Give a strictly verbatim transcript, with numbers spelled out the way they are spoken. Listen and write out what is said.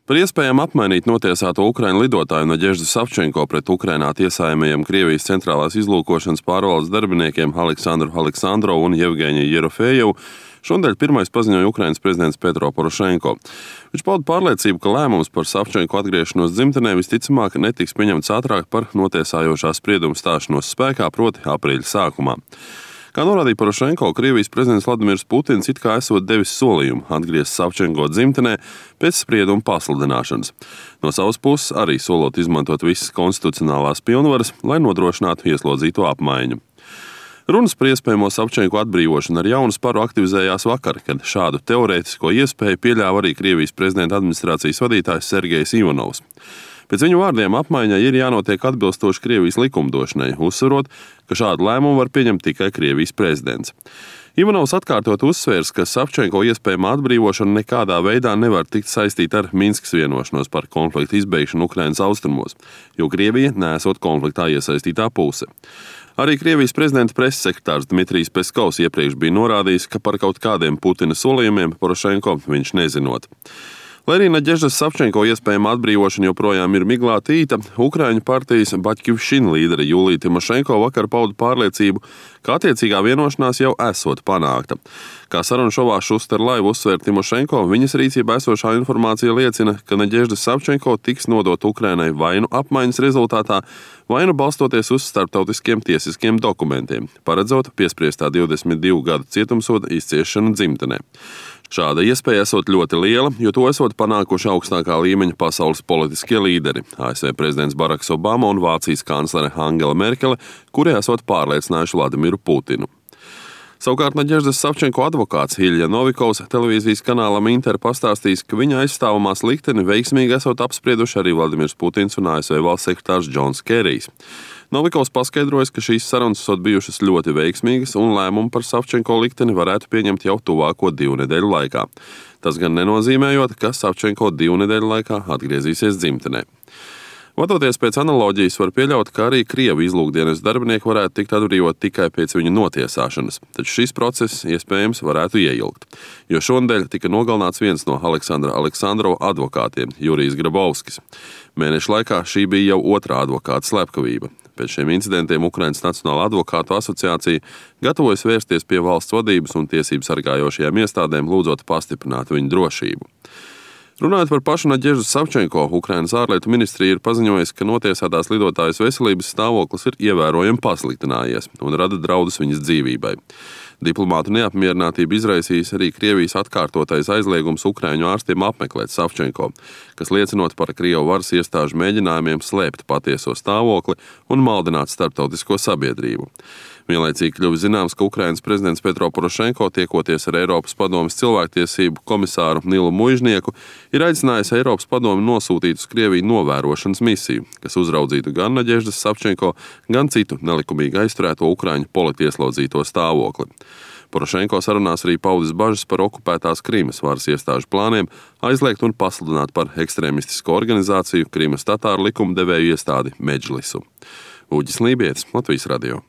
Par iespējām apmainīt notiesāto ukraiņu lidotāju Nadeždu Savčenko pret Ukrainā tiesājumajiem Krievijas centrālās izlūkošanas pārvaldes darbiniekiem Aleksandru Aleksandrovu un Jevgeņiju Jerofejevu šonadēļ pirmais paziņoja Ukrainas prezidents Petro Porošenko. Viņš pauda pārliecību, ka lēmums par Savčenko atgriešanos dzimtenē visticamāk netiks pieņemts ātrāk par notiesājošā sprieduma stāšanos spēkā, proti aprīļa sākumā. Kā norādīja Porošenko, Krievijas prezidents Vladimirs Putins it kā esot devis solījumu atgriezt Savčenko dzimtenē pēc sprieduma pasludināšanas. No savas puses arī solot izmantot visas konstitucionālās pilnvaras, lai nodrošinātu ieslodzīto apmaiņu. Runas par iespējamo Savčenko atbrīvošanu ar jaunu sparu aktivizējās vakar, kad šādu teorētisko iespēju pieļāva arī Krievijas prezidenta administrācijas vadītājs Sergejs Ivanovs. Pēc viņu vārdiem apmaiņai ir jānotiek atbilstoši Krievijas likumdošanai, uzsverot, ka šādu lēmumu var pieņemt tikai Krievijas prezidents. Ivanovs atkārtot uzsvērs, ka Savčenko iespējamā atbrīvošana nekādā veidā nevar tikt saistīta ar Minskas vienošanos par konfliktu izbeigšanu Ukrainas austrumos, jo Krievija neesot konfliktā iesaistītā puse. Arī Krievijas prezidenta preses sekretārs Dmitrijs Peskovs iepriekš bija norādījis, ka par kaut kādiem Putina solījumiem Porošenko viņš nezinot. Lai arī Nadeždas Savčenko iespējama atbrīvošana joprojām ir miglā tīta, Ukraiņu partijas Baķkivšina līdere Julija Timošenko vakar pauda pārliecību, ka attiecīgā vienošanās jau esot panākta. Kā sarunu šovā Šuster Live uzsver Timošenko, viņas rīcībā esošā informācija liecina, ka Nadežda Savčenko tiks nodot Ukrainai vai nu apmaiņas rezultātā, vai nu balstoties uz starptautiskiem tiesiskiem dokumentiem, paredzot piespriestā divdesmit divu gadu cietumsoda izciešanu dzimtenē. Šāda iespēja esot ļoti liela, jo to esot panākuši augstākā līmeņa pasaules politiskie līderi – A S V prezidents Baraks Obama un Vācijas kanclere Angela Merkele, kuri esot pārliecinājuši Vladimiru Putinu. Savukārt Nadeždas Savčenko advokāts Ilja Novikovs televīzijas kanālam Inter pastāstījis, ka viņa aizstāvamās likteni veiksmīgi esot apsprieduši arī Vladimirs Putins un A S V valsts sekretārs Džons Kerijs. Novikovs paskaidrojas, ka šīs sarunas esot bijušas ļoti veiksmīgas un lēmumu par Savčenko likteni varētu pieņemt jau tuvāko divu nedēļu laikā. Tas gan nenozīmējot, ka Savčenko divu nedēļu laikā atgriezīsies dzimtenē. Vadoties pēc analoģijas, var pieļaut, ka arī Krievu izlūkdienas darbinieki varētu tikt atbrīvot tikai pēc viņu notiesāšanas, taču šis process iespējams varētu ieilgt, jo šonadēļ tika nogalināts viens no Aleksandra Aleksandrova advokātiem, Jurijs Grabovskis. Mēneša laikā šī bija jau otrā advokāta slepkavība. Pēc šiem incidentiem Ukrainas Nacionālā advokātu asociācija gatavojas vērsties pie valsts vadības un tiesību sargājošajām iestādēm, lūdzot pastiprināt viņu drošību. Runājot par pašu Nadeždu Savčenko, Ukrainas ārlietu ministrija ir paziņojusi, ka notiesātās lidotājas veselības stāvoklis ir ievērojami pasliktinājies un rada draudus viņas dzīvībai. Diplomātu neapmierinātību izraisījis arī Krievijas atkārtotais aizliegums Ukraiņu ārstiem apmeklēt Savčenko, kas liecinot par Krievu varas iestāžu mēģinājumiem slēpt patieso stāvokli un maldināt starptautisko sabiedrību. Vienlaicīgi kļuvis zināms, ka Ukrainas prezidents Petro Porošenko, tiekoties ar Eiropas padomes cilvēktiesību komisāru Nilu Muižnieku, ir aicinājis Eiropas padomi nosūtīt uz Krieviju novērošanas misiju, kas uzraudzītu gan Nadeždas Savčenko, gan citu nelikumīgi aizturēto ukraiņu politieslodzīto stāvokli. Porošenko sarunās arī paudis bažas par okupētās Krimas varas iestāžu plāniem aizliegt un pasludināt par ekstrēmistisko organizāciju Krimas tatāru likumdevēju iestādi Medžlisu. Uģis Lībietis, Latvijas radio.